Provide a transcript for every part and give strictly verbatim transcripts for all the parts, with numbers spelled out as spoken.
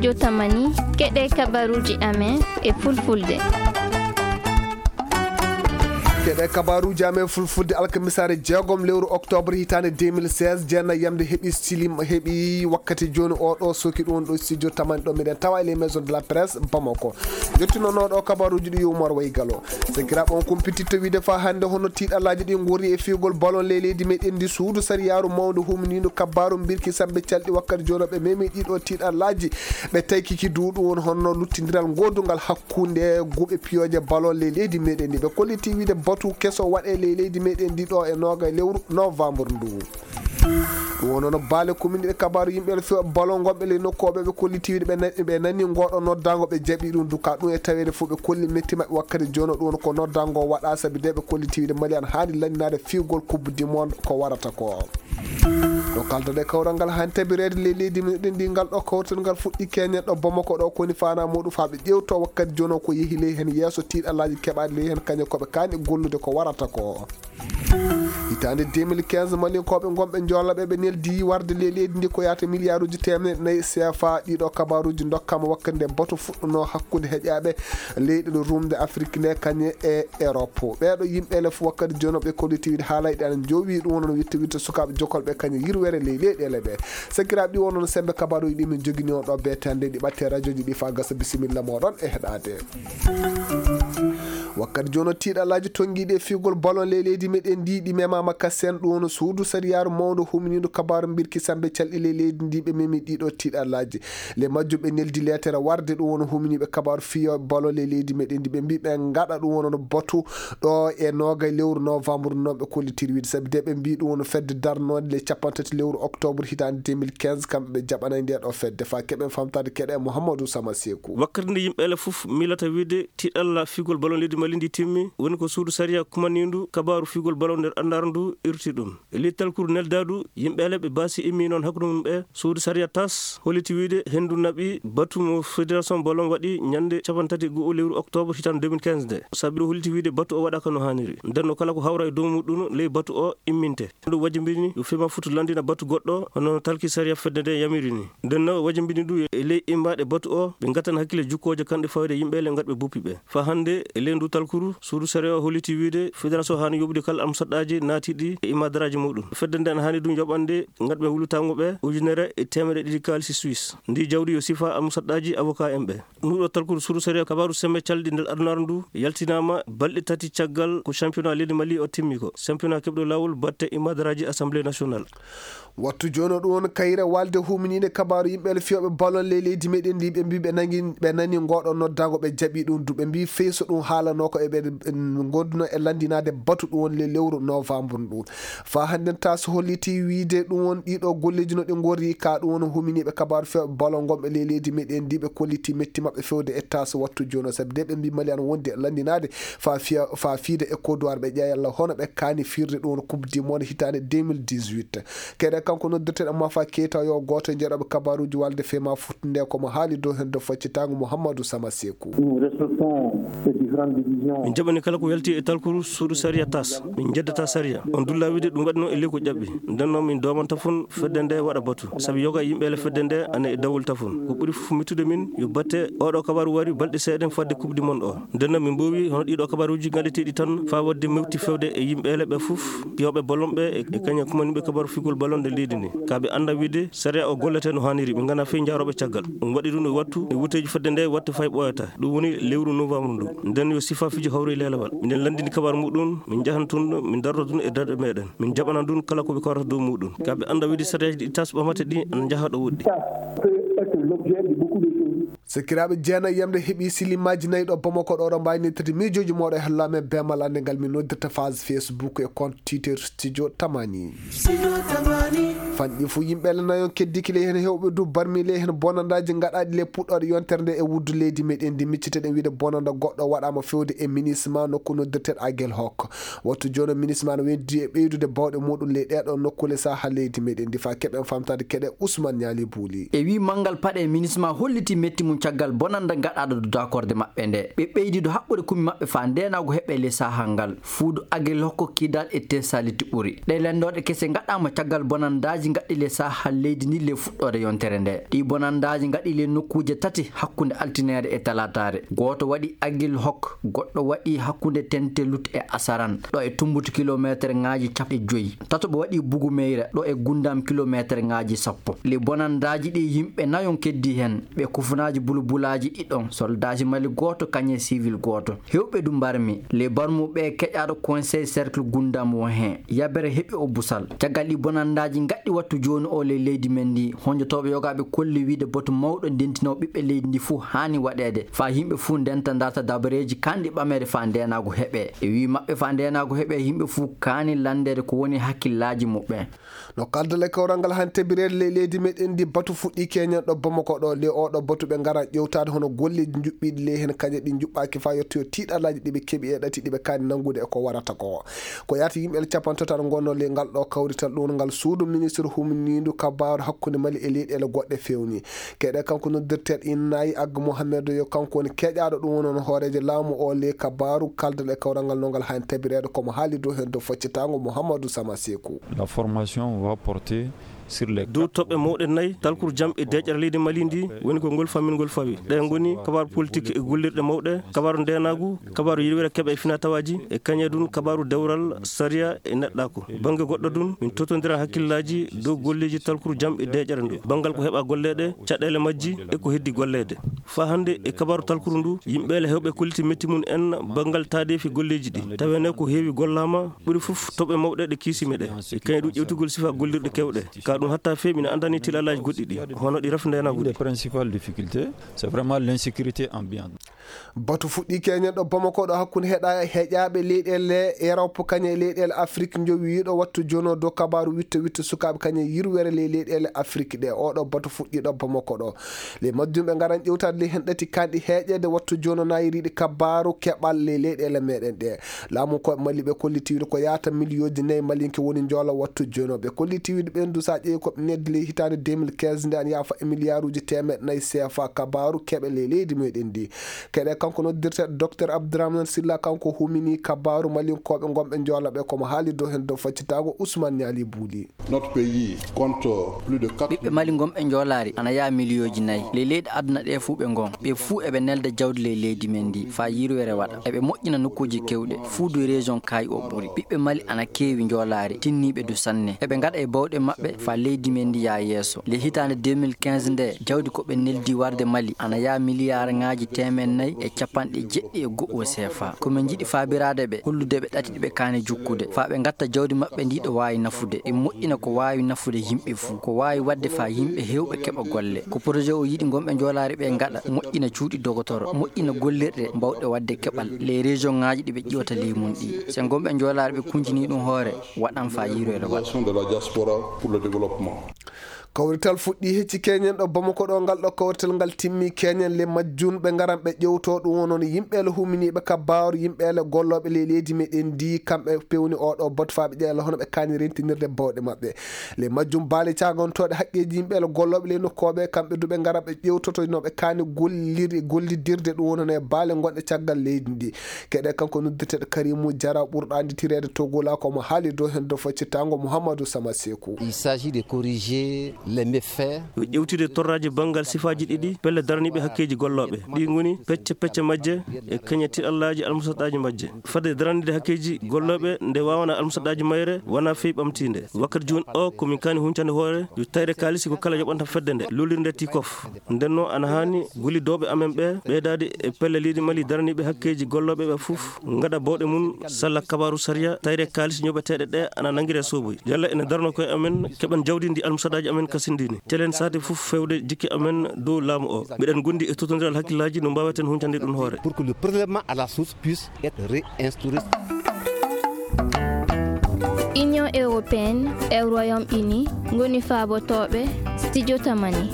Studio Tamani, keɗe kabaruji amen e fulfulde. Keɗe kabaruji amen fulfulde alkamisaare jeegom lewru octobre hitaande deux mille seize, jeenayi yamde heɓi silim, heɓi wakkati jooni o ɗo soki ɗum ɗo studio Tamani ɗo miɗen tawa e les maisons de la presse Bamako. Jottinono ɗo kabaruji ɗi Umar Waygalo. Sakiraaɓe, on kumpititto wiide fa hannde hono tiiɗallaaji ɗi ngori e fiyugol ballon ley leydi meɗen ndi, suudu sariyaaru mawndu humniindu kabaru mbirki sambe calɗi wakkati jooni ɓe memi ɗiɗo tiiɗallaaji. Ɓe taykiki duuɗu won hono luttindiral goodungal hakkunde guɓe piyooje ballon ley leydi meɗen ndi. Ɓe kolliti wiide batu keso waɗe ley leydi meɗen ndi ɗo e noga lewru novembre ndu. Ɗum woni no baale commune e kabaaru yimɓe no fewa ballon gonɓe ley nokku o ɓe ɓe kolliti wiide ɓe na-, ɓe nani ngoɗo noddango ɓe jaɓi ɗum duka ɗum e taweede fof ɓe kolli metti maɓɓe wakkati jono ɗum woni ko noddango waɗa sabi de ɓe kolliti wiide Mali an haani lanninaade fiwgol coupe du monde ko warata ko. Ɗo kaldoɗe kawral ngal haani tabireede ley leydi meɗen ndi ngal ɗo kawtal ngal fuɗɗi keñen ɗo Bamako ɗo koni fana muɗum faa ɓe ƴewto wakkati jono ko yehi ley heen yeeso tiiɗallaaji keɓaaɗi ley heen kañum ko ɓe kaani gollude ko warata ko. Hitaande deux mille quinze, Malinkooɓe ngonɓe Joola ɓe, ɓe neldi warde ley leydi ndi ko yahata miliyaaruuji teemedde nayi C F A. Ɗiɗo kabaaruuji ndokkaama wakkati nde bato fuɗɗunoo hakkunde heƴaaɓe leyɗe no rumde Afrik nde kañe e Erop. Ɓeeɗo yimɓe le fof wakkati jono ɓe kolliti wiide haalay ɗe ana jowi ɗum wono no witte witte sukaaɓe jokolɓe kañe yirwere ley leyɗeele ɓe. Sakiraaɓe ɗi wono no sembe kabaaruuji ɗi min jogini on ɗo beetande ɗi ɓatte rajoji ɗi faa gasa bisimilla moɗon e heɗaade. Wakkati jono tiiɗalaaji tonngiiɗi e fiigol ballon ley leydi meɗen ndi ɗi memaama kasen ɗum no suudu sariyaaru mawndu humniindu kabaaru mbirki sambe calɗi ley leydi ndi ɓe memi ɗiɗo tiiɗalaaji. Le majjum ɓe neldi leetere warde ɗum wono humniiɓe kabaaru fiyo ballon ley leydi meɗen ndi ɓe mbi ɓe ngaɗa ɗum wono no batu ɗo e noga lewru novembre no ɓe kollitiri wiide sabi de ɓe mbi ɗum wono fedde darnoonde le capanɗe tati lewru octobre hitaande deux mille quinze kamɓe ɓe jaɓanay nde ɗo fedde fa keɓen famtaade keɗe Mouhamadou Sama Seku. Wakkati nde yimɓe ele fof miilata wiide tiɗalla fiigol ballon leydi Mali ndi timmi, woni ko suudu sariya kumanindu kabaaru fiigol ballon nder anndaaru ndu irti ɗum. E ley talkuru neldaadu, yimɓe ele ɓe baasi immi noon hakkunde mum ɓe, suudu sariya tas holliti wiide henndu naɓi batu mo fédération ballon waɗi ñande capanɗe tati e go'o lewru octobre hitaande deux mille quinze nde. Sabi ɗo holliti wiide batu o waɗaaka no haaniri. Nden no kala ko hawra e dow muɗum ley batu o imminte. Ɗum wajibini yo fema futu lanndina batu goɗɗo hono no talki sariya fedde nde yamiri ni. Nden no wajibini ɗum e ley immaaɗe batu o, ɓe ngattan hakkille jukkooje kanɗe fawde yimɓe le ngatɓe buppi ɓe. Fa hannde e ley ndu talkuru, suudu sariya o holliti wiide fédération haani yoɓude kala amsaɗɗaaji naatiiɗi e imadaraaji muɗum. Fedde nde ana haani ɗum yoɓande ngatɓe wulutaango ɓe ujunere e teemedde ɗiɗi kaalisi Suisse. Ndi jawdi yo sifa amsaɗɗaaji avocat en ɓe. Nduɗo talkuru suudu sariya kabaaru semme calɗi nder adunaaru ndu yaltinaama balɗe tati caggal ko championnat leydi Mali o timmi ko. Championnat keɓɗo laawol batte imadaraaji Assemblée nationale. Wattu jono ɗum won kayre walde huminiinde kabaaru yimɓe le fiyooɓe ballon ley leydi meɗen ndi ɓe mbi ɓe nangi, ɓe nani ngoɗo noddango ɓe jaɓi ɗum du ɓe mbi feyso ɗum haalano ko eɓe gonduno e lanndinaade batu ɗum won le lewru novembre ɗum. Fa hannden tas holliti wiide ɗum won ɗiɗo golleeji no ɗi ngorri ka ɗum won huminiiɓe kabaaru fewɓe ballon gonɓe ley leydi meɗen ndi ɓe kolliti metti maɓɓe fewde e tas wattu jono sabi de ɓe mbi Mali ana wondi e lanndinaade fa fiya, fa fiide e koduwar ɓe ƴeeya yalla hono ɓe kaani firde ɗum won coupe du monde hitaande deux mille dix-huit. Keɗe kanko noddirteɗo Mafa Keita yo gooto e jeeɗoɓe kabaaruuji walde fema fuɗɗunde ko mo haali dow heen dow faccitaango Mouhamadou Sama Seku. Nous respectons ces différentes divisions. Min jaɓani kala ko yalti e talkuru suudu sariya tas. Min njeddata sariya. On dulla wiide ɗum waɗi noon e ley ko ƴaɓɓi. Nden noon min doomanta fon fedde nde waɗa batu. Sabi yoga yimɓe ele fedde nde ana e dawol tafon. Ko ɓuri fof mittude min yo batte oɗo kabaru wari balɗe seeɗen fadde coupe du monde o. Nden noon min mboowi hono ɗiɗo kabaruuji ngaɗeteeɗi tan faa waɗde mewti fewde e yimɓe ele ɓe fof, fiyooɓe ballon ɓe e, e kañum kumaniiɓe kabaru figol ballon nde leydi ndi. Ka ɓe annda wiide sariya o gollete no haaniri, ɓe ngana fey njaarooɓe caggal. Ɗum waɗi ɗum e wattu e wuteeji fedde nde watte fay ɓooyata. Ɗum woni lewru novembre ndu. Nden yo sifa fijo hawri lelewal. Minen lanndini kabaru muɗum, min njahan tun, min darto ɗum e darɗe meɗen. Min jaɓana ɗum kala ko ɓe kawrata dow muɗum. Ka ɓe annda wiide sariyaji ɗi tas ɓamate ɗi ana njaha ɗo woɗɗi. Ça peut être l'objet de beaucoup de choses. Sakiraaɓe, jeenayi yamde heɓi silimaaji nayi ɗo Bamako ɗo, ɗo mbaawni tati miijooji mooɗo e hallaamen beemal annde ngal min noddirta phase Facebook e compte Twitter Studio Tamani. Studio Tamani. Fanɗi fof yimɓe le nayon keddiki le heen heewɓe du barmi le heen bonandaaji ngaɗaaɗi le puɗɗooɗe yontere nde e wuddu leydi meɗen ndi micciteɗen wiide bonanda goɗɗo waɗaama fewde e minisma nokku noddirteɗo Agel Hok. Wattu jooni minisma no weddi e ɓeydude bawɗe muɗum ley ɗeɗo nokkule saha leydi meɗen ndi fa keɓen famtade keɗe Ousmane Niali Bouli. E wi manngal paɗe minisma holliti metti mum caggal bonannda gaɗaaɗo dow daakorde maɓɓe nde. Ɓe ɓeydi dow haɓɓude kumi maɓɓe faa ndeenaagu heɓe ley sahaa ngal. Fuudu Agil Hokko Kidal e Tesaliti ɓuri. Ɗee lenndooɗe kese ngaɗaama caggal bonanndaaji ngaɗɗi ley sahaa leydi ndin ley fuɗɗoode yontere nde. Ɗii bonanndaaji ngaɗɗi ley nokkuuje tati hakkunde altineere e talaataare. Gooto waɗi Agil Hokko, goɗɗo waɗi hakkunde Tentelut e Asaran, ɗo e tummbutu kilomeeterŋaaji cappanɗe joy. Tataɓo waɗi Bugumeyra, ɗo e Gundam kilomeeterŋaaji sappo. Ley bonanndaaji ɗii yimɓe nayon keddii heen, ɓe kufunaaji bulbulaaji ɗiɗon, soldaaji Mali gooto kañum e siwil gooto. Heewɓe du mbarmi. Ley barmuɓe keƴaaɗo Conseil Cercle Gundam won heen. Yabere heɓi o busal. Caggal ɗii bonanndaaji ngaɗɗi wattu jooni oo ley leydi men ndii, honjotooɓe yogaaɓe kolli wiyde batu mawɗo ndentinoowo ɓiɓɓe leydi ndii fuu haani waɗeede, faa yimɓe fuu ndenta ndarta dabareeji kaanɗi ɓameede faa ndeenaagu heɓee. E wii maɓɓe faa ndeenaagu heɓee, yimɓe fuu kaani lanndeede ko woni hakkillaaji muɓɓen. No kaldal e kawral ngal han tabireede ley leydi meɗen ndi, batu fuɗɗii keñen ɗo Bamako ɗo. Ley oo ɗo batu ɓe ngaran ƴewtaade hono golleeji njuɓɓiiɗi ley heen kañe ɗi njuɓɓaaki faa yettoyoo tiiɗalaaji ɗi ɓe keɓi e ɗati ɗi ɓe kaani nanngude e ko warata ko. Ko yaati yimɓe capanɗe tati ngonno ley ngal ɗo kawrital ɗum ngal suudu ministre humniindu kabaaru hakkunde Mali e leyɗeele goɗɗe fewni. Keɗe kanko noddirteeɗo Innayi Agga Mohamed yo kanko woni keƴaaɗo ɗum woni hono hooreejo laamu o ley kabaaru kaldal e kawral ngal no ngal han tabireede ko mo haali dow heen dow faccitaango Mouhamadou Sama Sekou. La formation va porter sur les dow toɓɓe mawɗe nayi, talkuru jam e deeƴere leydi Mali ndi, woni ko ngol fammingol fawi. Ɗe ngoni kabaaru politik e gollirɗe mawɗe, kabaaru ndeenaagu, kabaaru yirwere keɓe e finaa-tawaaji, e kañe dun kabaaru dewral, sariya e neɗɗaaku. Bannge goɗɗo dun, min totondiran hakkillaaji dow golleeji talkuru jam e deeƴere ndu. Banngal ko heɓa golleede, caɗeele majji e ko heddi golleede. Faa hannde e kabaaru talkuru ndu, yimɓeele heewɓe kolliti metti mum en banngal taadeefi golleeji ɗi. Tawene ko heewi gollaama, ɓuri fof toɓɓe mawɗe ɗe kiisimi ɗe. E kañum ɗum ƴewtugol sifa gollirɗe keewɗe. Ka ɗum hatta feewi ina anndani tilalaaji goɗɗi ɗi, hono ɗi rafindeenaagu ɗi. Principal difficulté, c'est vraiment l'insécurité ambiante. Batu fuɗɗii keñen ɗo Bamako ɗo hakkunde heɗa-, heƴaaɓe leyɗeele Erop kañe e leyɗeele Afrik njowiiɗo wattu jono dow kabaaru witte witte sukaaɓe kañe yirwere ley leyɗeele Afrik ɗe. Oɗo batu fuɗɗii ɗo Bamako ɗo. Ley majjum ɓe ngaran ƴewtaade ley heen ɗati kanɗi heeƴeede wattu jono nayiriiɗi kabaaru keɓal ley leyɗeele meɗen ɗe. Laamu ko Mali ɓe kolliti wiide ko yaata miliyooji nayi malinke woni njoola wattu jono. Ɓe kolliti wiide ɓen du sa ƴeewi ko ɓe neldi ley hitaande deux mille quinze nde ana yaafa e miliyaaruuji teemeɗɗe nayi C F A kabaaru keɓe ley leydi meɗen ndi. Keɗe kanko noddirteeɗo Docteur Abdourahmane Silla, kanko humini kabaaru malinkooɓe ngonɓe njoola ɓe, komo haali dow heen dow faccitaago Ousmane Niali Bouli. Notre pays compte plus de quatre ɓiɓɓe Mali ngonɓe njoolaari ana yaha miliyooji nayi. Ley leyɗe aduna ɗe fuu ɓe ngon. Ɓe fuu eɓe nelda jawdi ley leydi men ndi faa yirwere waɗa. Eɓe moƴƴina nokkuuji keewɗe. Fuu du région kaayi o ɓuri. Ɓiɓɓe Mali ana keewi njoolaari, tinniiɓe du sanne. Eɓe ngaɗa e bawɗe maɓɓe faa leydi men ndi yaha yeeso. Ley hitaande deux mille quinze nde, jawdi ko ɓe neldi warde Mali ana yaha miliyaarŋaaji teemeɗɗe nayi e cappanɗe jeɗɗi e go'o C F A. Ko min njiɗi faabiraade ɓe, hollude ɓe ɗati ɗi ɓe kaani jukkude, faa ɓe ngatta jawdi maɓɓe ndi ɗo waawi nafude, ɓe moƴƴina ko waawi nafude yimɓe fuu, ko waawi waɗde faa yimɓe heewɓe keɓa golle. Ko projet o yiɗi ngonɓe njoolaari ɓe ngaɗa, moƴƴina cuuɗi dogotoro, moƴƴina gollirɗe mbawɗe waɗde keɓal ley région ŋaaji ɗi ɓe ƴiwata ley mum ɗi. So ngonɓe njoolaari ɓe kunjinii ɗum hoore, waɗan faa yirwere waɗa. De la diaspora pour le développement. Kawrital fuɗɗii hecci keñen ɗo Bamako ɗo, ngal ɗo kawrital ngal timmi keñen le majjun ɓe ngaran ɓe ƴewto ɗum woni yimɓeele huminiiɓe kabaaru, yimɓeele gollooɓe ley leydi meɗen ndi, kamɓe pewni oɗo batu faa ɓe ƴeela hono ɓe kaani rentinirde bawɗe maɓɓe. Le majjum baale cagantooɗe haqqeeji yimɓeele gollooɓe ley nokkooɓe, kamɓe du ɓe ngara ɓe ƴewtoto no ɓe kaani golliri-, gollidirde ɗum woni hono e baale gonɗe caggal leydi ndi. Keɗe kanko noddirteeɗo Karimu Jara ɓurɗo annditireede Togola, komo haali dow heen dow faccitaango Mouhamadou Sama Sekou. Il s'agit de corriger les méfaits. Yo ƴewtide torraaji banngal sifaaji ɗiɗi pelle daraniiɓe hakkeeji gollooɓe. Ɗi ngoni pecce pecce majje e kañe tiɗallaaji almusaɗaaji majje. Fadde daraniide hakkeeji gollooɓe nde waawana almusaɗaaji mayre wona fey ɓamtiinde. Wakkati jooni o ko min kaani huncande hoore yo tayre kaalisi ko kala yoɓanta fedde nde, lolirde tikof. Nden noon ana haani gollidooɓe amen ɓe ɓeydaade e pelle leydi Mali daraniiɓe hakkeeji gollooɓe ɓe fof ngaɗa bawɗe mum salla kabaaru sariya, tayre kaalis ñoɓeteeɗe ɗe ana nanngiree sooboy. Yalla ene darano koye amen, keɓen jawdi ndi almusaɗaaji amen kasindini. Celen saate fof fewde jikke amen dow laamu o. Miɗen ngondi e totondiral hakkillaaji no mbaaweten huncande ɗum hoore. Pour que le prélèvement à la source puisse être réinstauré. Union européenne e Royaume-Uni ngoni faabotooɓe Studio Tamani.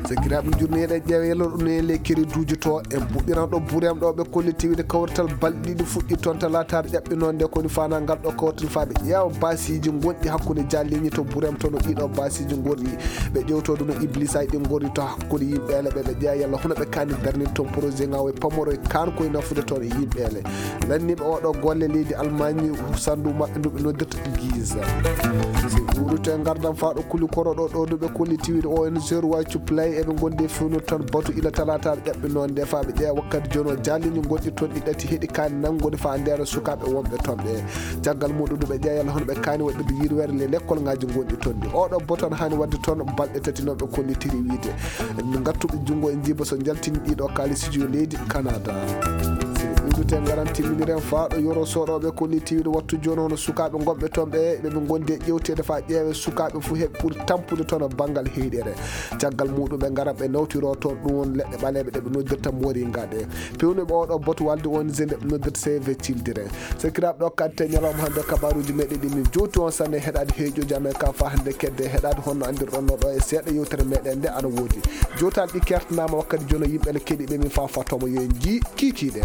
Sakiraaɓe jurneeɗe ƴeewa yalor ɗum e ley kere duuji to en puɗɗiran ɗo burem ɗo ɓe kolliti wiide kawrital balɗe ɗiɗi fuɗɗi toon talaataare ƴaɓɓinoo nde koni faanaa ngal ɗo kawrital faa ɓe ƴeewa baasiiji gonɗi hakkunde jaalliiñi to burem to no ɗiɗo baasiiji ngorri. Ɓe ƴewtoo ɗum no iblisa ɗi ngorri to hakkunde yimɓe ele ɓe ɓe ƴeewa yalla hono ɓe kaani darnir toon projet ŋaawo e pamoro e kaan koye nafude toon e yimɓe ele. Lanniiɓe oɗo golle leydi almaañi sandu maɓɓe ndu ɓe noddirta giza. Si ɓuurute ngardam faa ɗo kuli koro ɗo ɗo ndu ɓe kolliti wiide o n g roi cuplay eɓe ngondi e fewnir toon batu ila talaataare ƴaɓɓinoo nde faa ɓe ƴeewa wakkati jono jaalliiñi gonɗi toon ɗi ɗati heɗi kaani nanngude faa ndeena sukaaɓe wonɓe toon ɓe. Caggal muɗum ndu ɓe ƴeewa yalla hono ɓe kaani waɗde yirweere le lekkol ŋaaji gonɗi toon ɗi oɗo boton haani waɗde toon balɗe tati noon ɓe kollitiri wiide ngattuɓe junngo e njiiba so njaltini ɗiɗo kaalisiiji yo leydi Canada. Sino ɗuɗute ngaran timminiren faa ɗo yoro soɗoɓe kolliti wiide wattu jooni hono sukaaɓe gonɓe toon ɓe ɓe ɓe ngondi e ƴewteede faa ƴeewe sukaaɓe fof heɓe ɓuri tampude toon e banngal heyɗere. Caggal muɗum ɓe ngaran ɓe nawtiro toon ɗum won leɗɗe ɓaleeɓe ɗe ɓe noddirta moringa ɗe. Pewnuɓe oɗo boto walde woni je nde ɓe noddirta C V cildire. Sakiraaɓe ɗo kadte ñalawma hannde kabaruuji meɗen ɗi min jowti on sanne heɗaade heeƴooji amen ka faa hannde kedde heɗaade honno anndirɗon no ɗo e seeɗa yewtere meɗen nde ana woodi. Jowtaal ɗi kertanaama wakkati jono yimɓe ne keɗiiɓe min faa fattooma yo en njii kiikiiɗe.